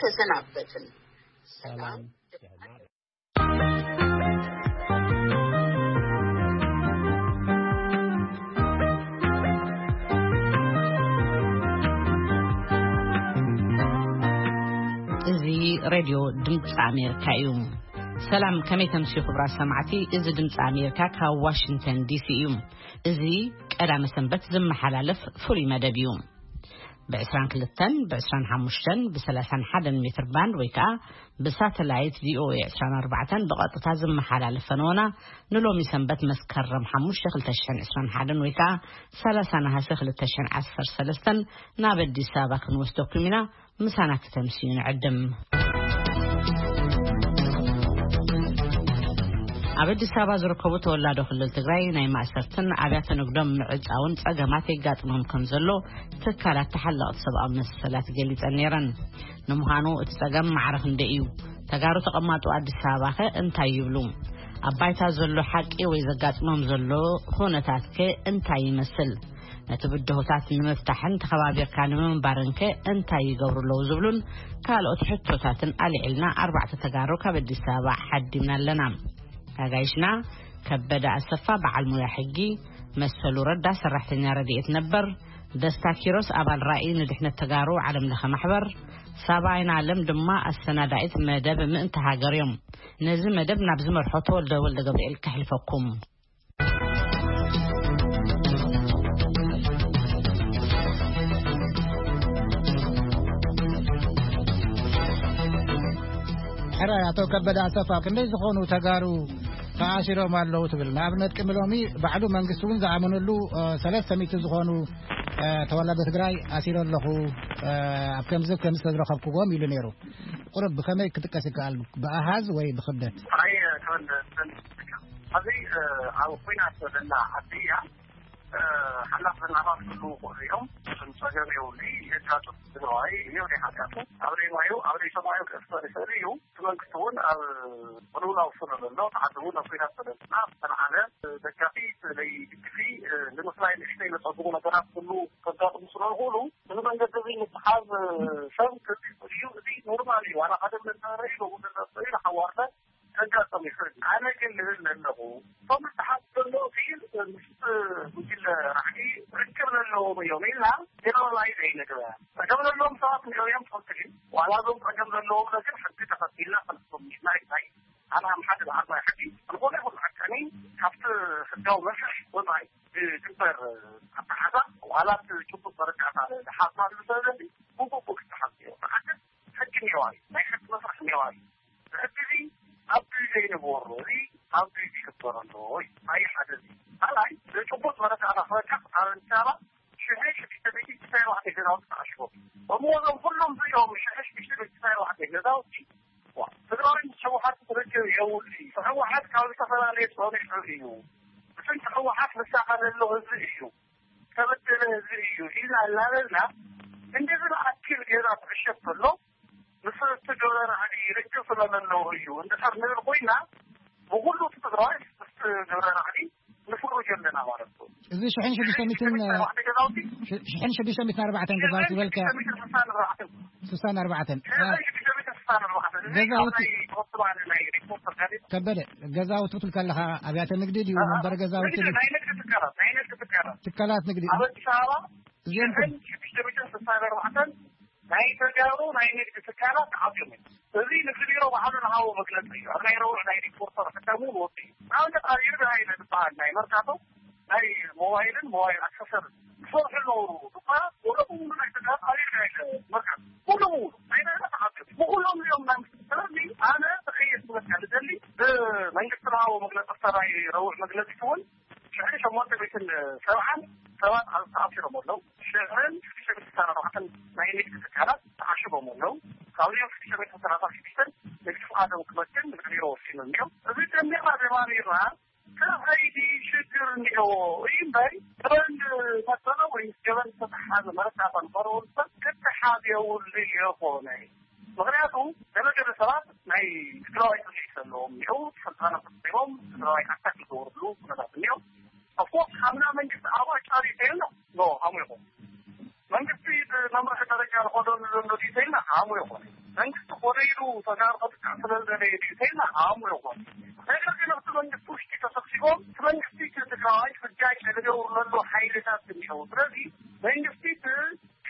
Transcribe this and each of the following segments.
ተሰናበትን። ሰላም። እዚ ሬድዮ ድምፂ ኣሜሪካ እዩ። ሰላም፣ ከመይ ተምስዩ ክቡራት ሰማዕቲ? እዚ ድምፂ ኣሜሪካ ካብ ዋሽንግተን ዲሲ እዩ። እዚ ቀዳመ ሰንበት ዝመሓላለፍ ፍሉይ መደብ እዩ። ብ22፣ ብ25፣ ብ31 ሜትር ባንድ ወይ ከዓ ብሳተላይት ቪኦኤ 24 ብቐጥታ ዝመሓላለፍ ፈነወና ንሎሚ ሰንበት መስከረም 5 2021 ወይ ከዓ 30 ነሃሰ 2013 ናብ ኣዲስ ኣበባ ክንወስደኩም ኢና። ምሳና ክተምስዩ ንዕድም። ኣብ ኣዲስ ኣበባ ዝርከቡ ተወላዶ ክልል ትግራይ ናይ ማእሰርትን ኣብያተ ንግዶም ምዕጻውን ጸገማት የጋጥሞም ከም ዘሎ ትካላት ተሓለቕቲ ሰብኣዊ መሰላት ገሊጸን ነይረን። ንምዃኑ እቲ ጸገም ማዕረ ክንደይ እዩ? ተጋሩ ተቐማጦ ኣዲስ ኣበባ ኸ እንታይ ይብሉ? ኣብ ባይታ ዘሎ ሓቂ ወይ ዘጋጥሞም ዘሎ ኩነታት ከ እንታይ ይመስል? ነቲ ብድሆታት ንምፍታሕን ተኸባቢርካ ንምንባርን ከ እንታይ ይገብሩ ኣለዉ ዝብሉን ካልኦት ሕቶታትን ኣልዒልና ኣርባዕተ ተጋሩ ካብ ኣዲስ ኣበባ ሓዲምና ኣለና። ኣጋይሽና ከበደ ኣሰፋ በዓል ሞያ ሕጊ፣ መሰሉ ረዳ ሰራሕተኛ ረድኤት ነበር፣ ደስታ ኪሮስ ኣባል ራእይ ንድሕነት ተጋሩ ዓለም ለኸ ማሕበር፣ ሳባ ኣይናለም ድማ ኣሰናዳኢት መደብ ምእንቲ ሃገር እዮም። ነዚ መደብ ናብ ዝመርሖ ተወልደ ወልደ ገብርኤል ከሕልፈኩም። ሕራይ ኣቶ ከበደ ኣሰፋ፣ ክንደይ ዝኾኑ ተጋሩ ተኣሲሮም ኣለዉ ትብል? ንኣብነት ቅድሚ ሎሚ ባዕሉ መንግስቲ እውን ዝኣመነሉ፣ እ፣ ሰለስተ ሚእቲ ዝኾኑ፣ እ፣ ተወላዶ ትግራይ ኣሲሮ ኣለኹ፣ እ፣ ኣብ ከምዚ ከምዚ ተዝረኸብኩዎም ኢሉ ነይሩ። ቁሩብ ብኸመይ ክጥቀስ ይከኣል? ብኣሃዝ ወይ ብኽብደት? ሕራይ፣ እ፣ ተወልደ፣ ኣብዚ፣ እ፣ ኣብ ኲናት ዘለና ዓዲ እያ። እ፣ ሓላፍ ዘናባት ክህልዉ ይኽእሉ እዮም። እሱን ጸገም የብሉ፣ የጋጥም። ትግራዋይ የብለይ ሓጢኣቱ። ኣብ ደይ ማዩ፣ ኣብ ደይ ሰማዩ ክእሰር ይኽእል እዩ። እቲ መንግስቲ እውን ኣብ ቅልውላው ስለ ዘሎ፣ እቲ ዓዲ እውን ኣብ ኲናት ስለ ዘሎ፣ ዝተልዓለ ደጋፊ፣ ለይ ድግፊ፣ እ፣ ንምፍላይ ንእሽተይ ዘጸግሙ ነገራት ኩሉ ከጋጥሙ ስለ ዝኽእሉ፣ እዚ መንገዲ እዚ ምትሓዝ፣ እ፣ ሰብ ክርድእ እዩ። እዚ ኖርማል እዩ። ዋላ ሓደ መናበሪ ኢሉ፣ እውን መናበሪ ኢሉ ሓዋርደ ከጋጥም ይኽእል። ኣነ ግን ልብል ዘለኹ፣ እቶም ዝተሓዙ ዘለዉ ግን ምስ ጉጅለ ራዕዲ ርክብ ዘለዎም እዮም ኢልና ጀነራላይዝ ኣይንግበር። ጸገም ዘለዎም ሰባት ንዕኦም ትኽክል እዩ። ዋላ እዞም ጸገም ዘለዎም ግን ሕጊ ተኸቲልና ክንፍቶም ኢና። እንታይ ኣነ ከም ሓደ በዓል ናይ ሕጊ ዝኾነ ይኹን ዓቃኒ ካብቲ ሕጋዊ መስርሕ ወጻኢ ዝግበር ኣተሓዛ ዋላ እቲ ጭቡጥ መረዳእታ ዝሓዝና ዘሎ ሰብ ብግቡእ ክተሓዝ እዩ። ብሓቂ ሕጊ እኒኦ እዩ። ናይ ሕጊ መስርሕ እኒኦ እዩ። ሕጊ እዚ ኣብ ግዜ ይንበሮ፣ እዚ ኣብ ግዜ ይግበር ኣለዎ እዩ። ኣይ ሓደ እዚ። ካልኣይ፣ ብጭቡጥ መረዳእታ ክበቃ ኣብ ኣዲስ ኣበባ ሽሕን ሽዱሽተ ሚእትን ሽዱሽተ ኣርባዕተ ገዛውቲ ተዓሽጎም። እሞ እዞም ኩሎም እዚኦም ሽሕን ሽዱሽተ ሚእትን ሽዱሽተ ኣርባዕተ ገዛውቲ፣ ዋ፣ ትግራዋይ ምስ ህወሓት ርክብ የብሉ እዩ። ህወሓት ካብ ዝተፈላለየ ጸኒሑ እዩ። ብስንኪ ህወሓት ዝሳቐ ዘሎ ህዝቢ እዩ። ዝተበደለ ህዝቢ እዩ ኢልና እናበልና፣ እንደዚ ዝኣክል ገዛ ክዕሸግ ከሎ፣ ምስ እቲ ግብረ ራዕዲ ርክብ ስለ ዘለዎ እዩ እንድሕር ንብል ኮይና፣ ብኹሉ እቲ ትግራዋይ ምስ ግብረ ራዕዲ ንፍርጆ ኣለና ማለት እዩ። እዚ ሽሕን ሽዱሽተ ሚእትን፣ ሽ-፣ ሽሕን ሽዱሽተ ሚእትን ኣርባዕተን ገዛውቲ ዝበልካ? ሽሕን ሽዱሽተ ሚእትን ስሳን ኣርባዕተን። ስሳን ኣርባዕተን። ሽሕን ሽዱሽተ ሚእትን ስሳን ኣርባዕተን። እዚ ገዛውቲ ካብ ናይ ተወስባ ናይ ሪፖርተር ጋዜጣ። ከበደ፣ ገዛውቲ ክትብል ከለኻ ኣብያተ ንግዲ ድዩ? ኣሃ። መንበሪ ገዛውቲ ንግዲ፣ ድዩ? ናይ ንግዲ ትካላት፣ ናይ ንግዲ ትካላት። ትካላት ንግዲ። ኣብ ኣዲስ ኣበባ እዚኦም ሽሕን ሽዱሽተ ሚእትን ስሳን ኣርባዕተን ናይ ተጋሩ ናይ ንግዲ ትካላት ተዓጽዮም እዮም። እዚ ንግዲ ቢሮ ባዕሉ ንሃቦ መግለጺ እዩ። ኣብ ናይ ረቡዕ ናይ ሪፖርተር ሕታሙ እውን ወፂኡ። ንኣብነት ኣብ ይርጋ ሃይለ ዝበሃል ናይ መርካቶ ናይ ሞባይልን ሞባይል ኣክሰሰርን ዝሰርሑ ኣለዉ። ድኳናት ሙሉ ብሙሉ ናይ ተጋሩ ኣብ ይርጋ ሃይለ መርካቶ ሙሉ ብሙሉ ናይ ናይና ተዓጽዮም። ብኩሎም እዚኦም ናይ፣ ስለዚ ኣነ ተኸየስ ክብለካ ዝደሊ ብመንግስቲ ዝሃቦ መግለፂ፣ ሰራይ ረቡዕ መግለፂ እውን ሽሕን ሸሞንተ ሚእትን ሰብዓን ሰባት ኣብ ተኣሲሮም ኣለዉ። ሽሕን ሽዱሽተ ሚእትን ኣርባዕተን ናይ ንግዲ ትካላት ተዓሽጎም ኣለዉ። ካብዚኦም ሽዱሽተ ሚእትን ሰላሳ ሽዱሽተን ንግዲ ፍቓዶም ክመክን ንግዲ ቢሮ ወሲኑ እኒኦ። እዚ ደሚርና ደማሚርና ከኸይዲ ሽግር እኒኦ እዩ እምበር፣ ገበን ፈጸመ ወይ ምስ ገበን ዝተተሓሓዘ መረዳእታ ንኸረወሉ ሰብ ክተሓዝ የብሉ ይኾነ። ምኽንያቱ ገለ ገለ ሰባት ናይ ትግራዋይ ስምዒት ዘለዎም እኒአው፣ ስልጣኖም ተጠቂሞም ትግራዋይ ኣታክ ዝገብርሉ ኩነታት እኒኦ። ኦፍኮርስ፣ ሓምና መንግስቲ ኣብኡ ኣጫርዩ ተይልና፣ ኖ፣ ሓሙ ይኹን። መንግስቲ ብመምርሒ ደረጃ ዝኸደሉ ዘሎ ድዩ ተይልና፣ ሓሙ ይኹን። መንግስቲ ተኾነ ኢሉ ተጋሩ ከጥቅዕ ስለ ዝደለየ ድዩ ተይልና ኣእምሮ ይኾን። ነገር ግን ኣብቲ መንግስቲ ውሽጢ ተሰብሲቦም እቲ መንግስቲ እቲ ትግራዋይ ፍጃይ ዝገብሩ ዘለዉ ሓይልታት እኒአው። ስለዚ መንግስቲ እቲ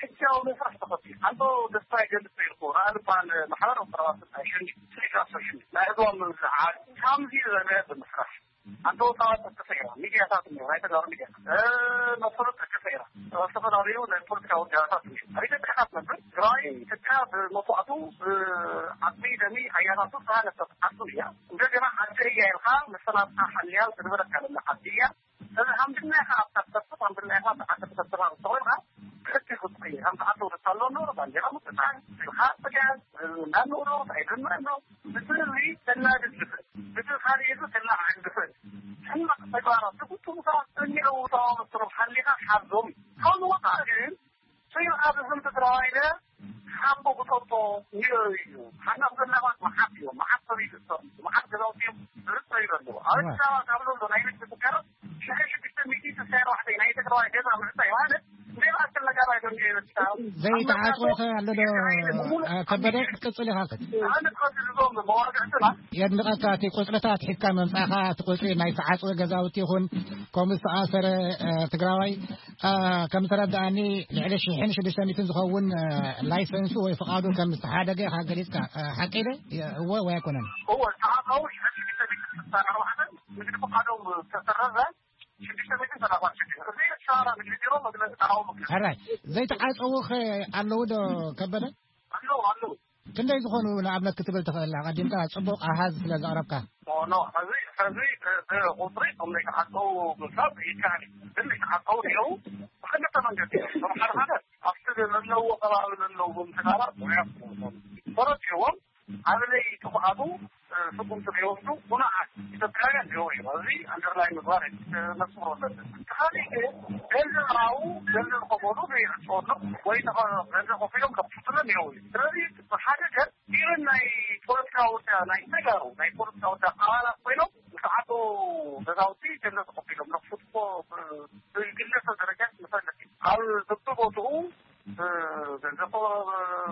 ሕጃዊ መስርሕ ተኸቲሉ። ኣንቶ ደስታ ይገልጽ ነይርኩ። ራእይ ዝበሃል ማሕበራዊ ሰራዋት ናይ ሸንዲ፣ ስሪት ኣሶሽን ናይ ህዝባዊ ምምስራሕ ዓዲ ከምዚ ዝበለ ብምስራሕ ኣንተ ወጣት ተሰይራ፣ ሚድያታት እኒኦ፣ ናይ ተጋሩ ሚድያታት፣ እ፣ መሰረት ተሰይራ፣ እ፣ ዝተፈላለዩ ናይ ፖለቲካ ውዳባታት እኒኦ። ኣብ ኢትዮጵያ ኢኻ ትነብር፣ ትግራይ ኢትዮጵያ ብመስዋእቱ፣ እ፣ ዓጽሚ ደሚ ኣያታቱ ዝተሃነጸት ዓዱ እያ። እንደገና ዓዲ እያ ኢልካ መሰላትካ ሓልያ ዝነበረካ ዘላ ዓዲ እያ። እዚ ሃምድና ኢኻ ኣብታ ትሰብስብ፣ ሃምድና ኢኻ ኣብታ ዓዲ ትሰብስብ፣ ኣብ ዝኾንካ ክልተ ክትቆይ፣ ሃምታ ዓዲ ውደት ኣሎ፣ ኖሮ ባንዴራ ምጥጣን፣ ኢልካ ጽጋብ፣ እ፣ እንዳንውሮ፣ ኣይደምረ ኣሎ። ብትሪ ተናድድ ዝኽእል፣ ብቲ ካልእ ተላዓል ዝኽእል ሕማቕ ተግባራት ዝፍጽሙ ሰባት እኒአው። ተዋመስትሮም ሓሊኻ ሓዞም እዩ። ካብ ዝወፃእ ግን ስዩም ኣብ ህዝቢ ትግራዋይ ኢለ ሓቦ ክጠጦ ይእዩ። ሓናፍ ዘላባት መዓት እዮም። መዓት ሰብ ይግሰሩ። መዓት ገዛውቲ እዮም ዝርፀዩ ዘለዉ። ኣብ ኣዲስ ኣበባ ካብ ዘሎ ናይ ንግዲ ትካላት ሽሕን ሽዱሽተ ሚእቲ ስሳይ ኣርባዕተ ናይ ትግራዋይ ገዛ ምዕፃይ ማለት ዘይተዓጽወ ከ ኣሎ ዶ? ከበደ ክትቅጽል ኢኻ። ኣነ ክትቀጽል እዞም መዋግዕትና የድንቐካ። እቲ ቁጽርታት ሒዝካ ምምጻእኻ፣ እቲ ቁጽሪ ናይ ተዓጽወ ገዛውቲ ይኹን ከምኡ ዝተኣሰረ፣ እ፣ ትግራዋይ፣ እ፣ ከም ዝተረድኣኒ ልዕሊ ሽሕን ሽዱሽተ ሚእትን ዝኸውን፣ እ፣ ላይሰንሱ ወይ ፍቓዱ ከም ዝተሓደገ ኢኻ ገሊጽካ። እ፣ ሓቂ ዶ? እወ ወይ ኣይኮነን? እወ፣ ዝተዓጸዉ ሽሕን ሽዱሽተ ሚእትን ስሳን ኣርባዕተን ንግዲ ፍቓዶም ዝተሰረዘ ሽዱሽተ ሚእትን ሰላሳ ሽዱሽተ። እዚ ሻራ ንግዲ ቢሮ መግለጺ፣ ተቃውሞ መግለጺ። ሕራይ፣ ዘይተዓጸዉ ኸ ኣለዉ ዶ ከበደ? ኣለዉ፣ ኣለዉ። ክንደይ ዝኾኑ ንኣብነት ክትብል ትኽእል? ኣቐዲምካ ጽቡቕ ኣሃዝ ስለ ዘቕረብካ። ኖ፣ ኖ፣ ሕዚ፣ ሕዚ ብ-፣ ብቑጽሪ እቶም ዘይተዓጸዉ ምፍላጥ ይከኣል እዩ። ግን ዘይተዓጸዉ እኒአዉ ብኽልተ መንገዲ እዮም። እቶም ሓደ ሓደ ኣብቲ ዘለዉ ከባቢ ዘለዉ ትካላት ሞያ ክኾኑ ይኽእሉ። ፈረድ እዮም። ኣብ ለይቲ ክኣቱ፣ እ፣ ስጉምቲ ዘይወስዱ ጉኑዓት ኢትዮጵያውያን ይህቡ እዮም። እዚ ኣንደርላይን ምግባር እዩ፣ እ፣ ነስምሮ ኣለና። እቲ ካልእ ግን ገንዘብ ሃቡ፣ ገንዘብ ከፈሉ ዘይዕጸወሎም ወይ ተኸ-፣ ገንዘብ ከፊሎም ከፍቱሎም ይህቡ እዮም። ስለዚ ብሓደ ገጽ ኢቨን ናይ ፖለቲካ ውዳ-፣ ናይ ተጋሩ ናይ ፖለቲካ ውዳ ኣባላት ኮይኖም ዝተዓጡ ገዛውቲ ገንዘብ ተኸፊሎም ነፍሱ እኮ ብ-፣ ብግለሰብ ደረጃ ዝመሰለት እዩ። ኣብ በብቦትኡ እ፣ ገንዘብ ከ-፣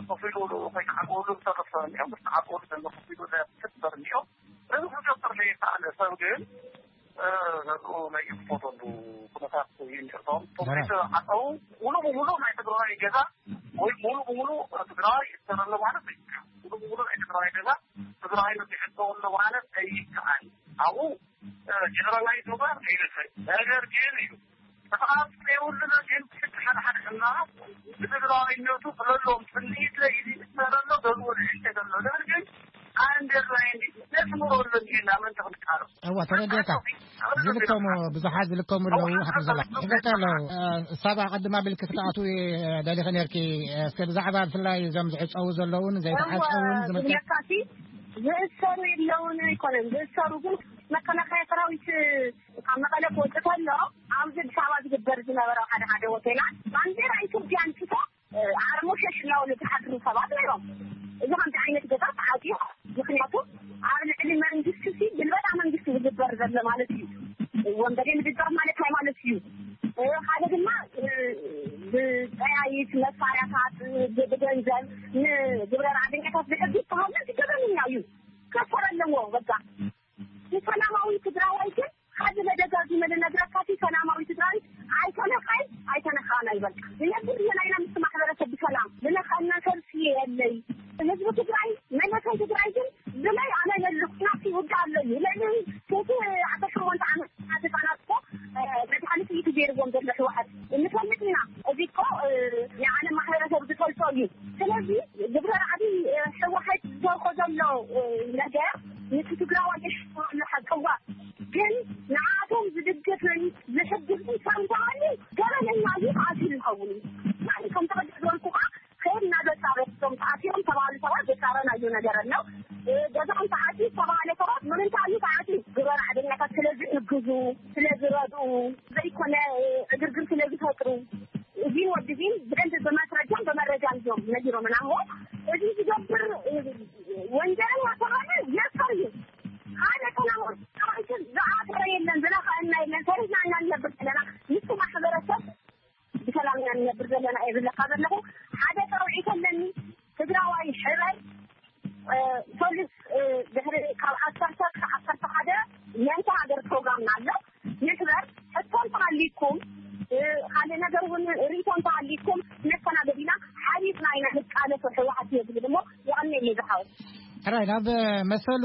ከፊሉ ከይተዓጽወሉ ዝተረፈ እኒኦ፣ ምስ ተዓጽወሉ ገንዘብ ከፊሉ ዘፍትር እኒኦ። እዚ ክገብር ዘይከኣለ ሰብ ግን፣ እ፣ ገዝኡ ናይ ይኽፈተሉ ኩነታት እዩ እኒኦ። እቶም፣ እቶም ዘይተዓጸዉ ሙሉ ብሙሉ ናይ ትግራዋይ ገዛ ወይ ሙሉ ብሙሉ ትግራዋይ ይእሰር ኣሎ ማለት ኣይከኣል። ሙሉ ብሙሉ ናይ ትግራዋይ ገዛ ትግራዋይ ንዝሕቶ ኣሎ ማለት ኣይከኣል። ኣብኡ፣ እ፣ ጀነራላይዝ ምግባር ኣይንኽእል። ነገር ግን እዩ ተፈቃቅሮ የብሉና፣ ግን ብሕጂ ሓደ ሓደ ሕማቕ ብትግራዋይነቱ ክለሎም ስምዒት ለይዚ ይስተረሎ ገልዎ ልዕል ተገሎ። ነገር ግን ኣንደርላይን ነስምሮ ኣሎ እንዲና መን ተኽንቃረብ። እዋ፣ ተረዲእካ። ዝልከሙ፣ ብዙሓት ዝልከሙ ኣለዉ። እዋ፣ ሓፍቲ ዘላ። ሓፍቲ ዘላ። ይፈታ ኣለዉ። እ፣ ሳባ ቀድማ ቢልኪ ክትኣትዊ፣ እ፣ ደሊኺ ነርኪ። እ፣ እስከ ብዛዕባ ብፍላይ እዞም ዝዕጸዉ ዘለዉን ዘይተዓጸዉን እዋ፣ ዝምልከት። ዝብለካሲ ዝእሰሩ የለውን ኣይኮነን። ዝእሰሩ ግን መከላኸያ ሰራዊት ካብ መቐለ ክወጽእ ከሎ ኣብዚ ኣዲስ ኣበባ ዝግበር ዝነበረ ሓደ ሓደ ሆቴላት ባንዴራ ኢትዮጵያ ኣንስቶ፣ እ፣ ዓርሞሸሽ እናበሉ ዝሓድሩ ሰባት ነይሮም። እዚ ከምዚ ዓይነት ገዛ ተዓፅዩ። ምኽንያቱ ኣብ ልዕሊ መንግስቲ ሲ ግልበጣ መንግስቲ ዝግበር ዘሎ ማለት እዩ። ወንበዴ ምድጋፍ ማለት እንታይ ማለት እዩ? እ፣ ሓደ ድማ፣ እ፣ ብጠያይት መሳርያታት፣ ብ-፣ ብገንዘብ ንግብረ ራዕደኛታት ዝሕግዝ ተሃውለት ገበነኛ እዩ። ክእሰር ኣለዎ በቃ። ንሰላማዊ ትግራዋይ ግን ሓደ ደጋጊመ ልነግረካ፣ እቲ ሰላማዊ ትግራይ ኣይተነካይ ኣይተነካናይ በቃ። ዝነብር እየ ናይና ምስ ማሕበረሰብ ብሰላም ልነካና ሰልፊ የለይ። ህዝቢ ትግራይ፣ መንእሰይ ትግራይ ግን ብለይ ኣነ የልኩ ናብቲ ውግእ ኣሎ እዩ። ልዕሊ ሴቲ ዓሰርተ ሸሞንተ ዓመት ህፃናት እኮ፣ እ፣ መድሃኒት እዩ ገይርዎም ዘሎ ህወሓት። ንፈልጥ ኢና። እዚ እኮ፣ እ፣ ንዓለም ማሕበረሰብ ዝፈልጦ እዩ። ስለዚ ግብረ ራዕዲ፣ እ፣ ህወሓት ዝሰርሖ ዘሎ፣ እ፣ ነገር ነቲ ትግራዋይ የሽፍኖ ኣሎ ሓቂ እዋ። ግን ንዓቶም ዝድግፍን ዝሕግዝን ሰብ እንተሃልዩ ገበነኛ እዩ፣ ተኣሲሩ ይኸውን እዩ። ማለት ከም ተቐደም ዝበልኩ ከዓ ከይድና ዘጻረፍቶም ተኣሲሮም ተባሃሉ ሰባት ዘጻረናዮ ነገር ኣሎ። እ፣ ገዛኦም ተዓጽዩ ዝተባሃለ ሰባት ንምንታይ እዩ ተዓጽዩ? ግብረ ራዕደኛታት ስለ ዝሕግዙ፣ ስለ ዝረድኡ፣ ዘይኮነ፣ እ፣ ዕግርግር ስለ ዝፈጥሩ። እዚን ወዲ እዚን ብደንብ ብማስረጃን ብመረጃን እዮም ነጊሮምና እሞ፣ እዚ ዝገብር፣ እ፣ ወንጀለኛ ተባለ የእሰር እዩ። ሓደ ሰላማዊ ሰራዊትን ዝኣሰረ የለን፣ ዝነኸአና የለን። ሰሪሕና ኢና ንነብር ዘለና። ምስ ማሕበረሰብ ብሰላም ኢና ንነብር ዘለና እየ ዝብለካ ዘለኹ። ሓደ ፃውዒት ኣለኒ። ትግራዋይ ሕራይ ሕራይ ናብ መሰሉ